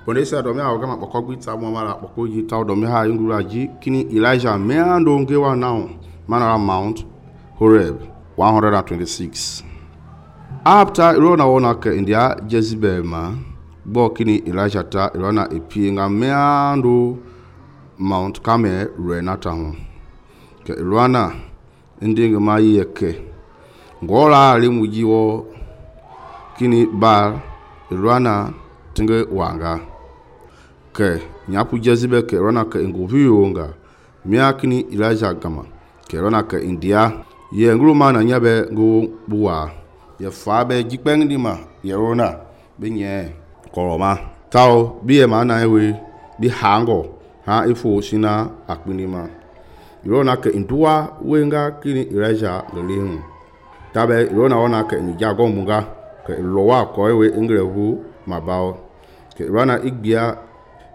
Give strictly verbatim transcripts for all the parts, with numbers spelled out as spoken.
Bonesa domi ha gama poko gbita mo mara poko yi ta domi ha ingura ji kini Elijah meando ngewa now manara Mount Horeb one hundred twenty-six. After irona wona ke India Jezebel ma bo kini Elijah ta irona epi nga meando Mount Carmel renata ho ke irona ndinga ma yeke ngola limuji wo kini Baal irona tinge wanga ke nyapu Jezebel ke rona ke nguviyonga mia kini Elijah gama ke rona ke India ye nguluma na nyabe ngu buwa ye fabe jipeng di ma ye rona binye koroma tao biye mana ewe bi hango ha ifo sina akpinima rona ke indua wenga kini Elijah lelihun tabe rona ona ke njago munga ke lowa ko ewe ingrevu mabao ke rona igbia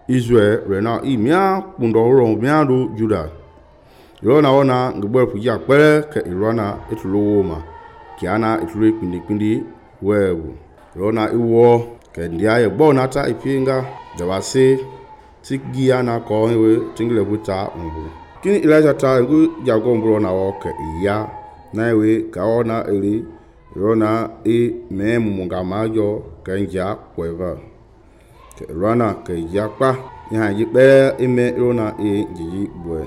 Israel rena imia pundo ro miando Juda rona ona ngbe fuja pere ke rona etulowo ma kiana etule pindi pindi wewu rona iwo ke ndia ye bona ta ipinga dawase tigia na ko ewe tingle buta umbu kini Elijah ta ngu jago mbro na wo ke iya na ewe ka ona eli rona e memu munga majo kenja kweva ke rona ke yakpa ya yipe ime rona e jiji bwe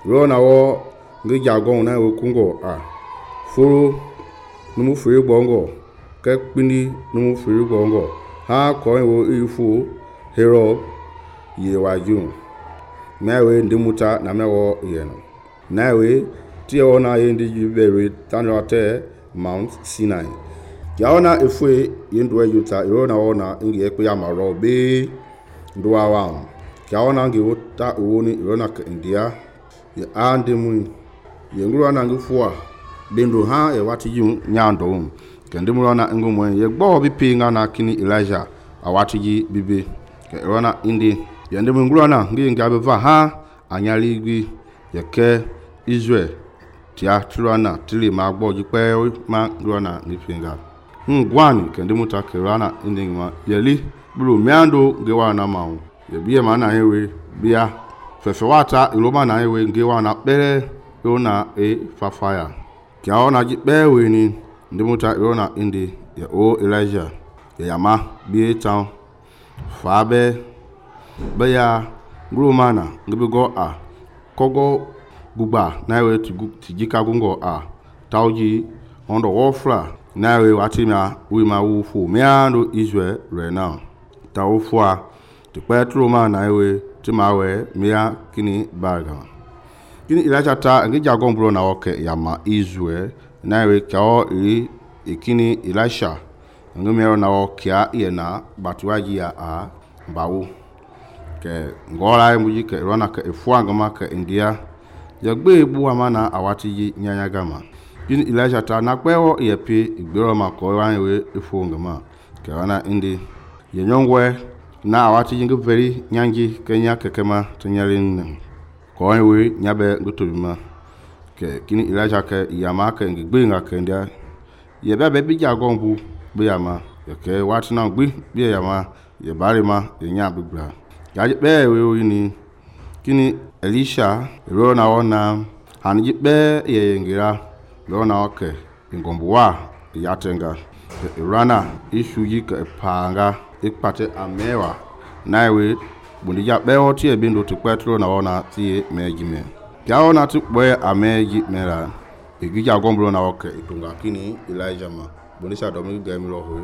rona wo ngi jago na wo kungo a furu numu firi bongo ke pini numu firi bongo ha ko wo ifu hero ye waju mewe ndimuta na mewo yeno nawe tie ona yendi jibere tanrote Mount Sinai yaona efue yendwe yuta irona ona ingi ekpe ya maro be ndwa wa yaona ngi wota uoni irona ke India ye ande mu ye ngura na ngifua bendo ha e wati yu nyando kende mu na ngumo ye gbo bi pinga na kini Elijah awati ji bibe ke irona indi ye ndemu ngura na ngi ngabe va ha anyali gbi ye ke Israel tia tulana tili ma gbo ji pe ma ngura ni pinga ngwani kende muta kirana indingma yeli bulu miando ngewa na mawu ye biye mana hewe bia fefewata iloma na hewe ngewa na pere yona e fafaya kiaona ji pewe ni ndimuta yona indi ye o Elijah ye yama bi town fabe beya ngulumana ngibigo a kogo gugba na hewe tijika gungo a tauji ondo wofra nawe watima we ma wufu meando Israel right now ta wufua ti petro ma nawe ti mawe mea kini baga kini Elijah ta ngi jago mbro na oke ya ma Israel nawe kao ri ikini Elisha ngi mero na oke ye na batuaji ya a bawo ke ngola muji ke rona ke efua ngama ke India ya gbe bu amana awati ji nyanya gama kini Elijah ta na kwewo yepi igbero ma ko wanwe ifo ngama ke wana indi ye nyongwe na awati jinga veri nyanji kenya kekema tunyarin ko wanwe nyabe ngutubima ke kini Elijah ke yama ke ngigbe nga ke ndia ye bebe bi jagombu bi yama ke wati na gbi bi yama ye bari ma ye nya bibra ya be we ni kini Elisha ro na ona hanji be ye ngira lona oke ingombuwa yatenga irana ishu yika panga ikpate amewa naiwe bundija bewo tie bindo ti petro na ona tie mejime yaona ti boye ameji mera igija gombro na oke itunga kini Elijah ma bundisha domi gemiro ho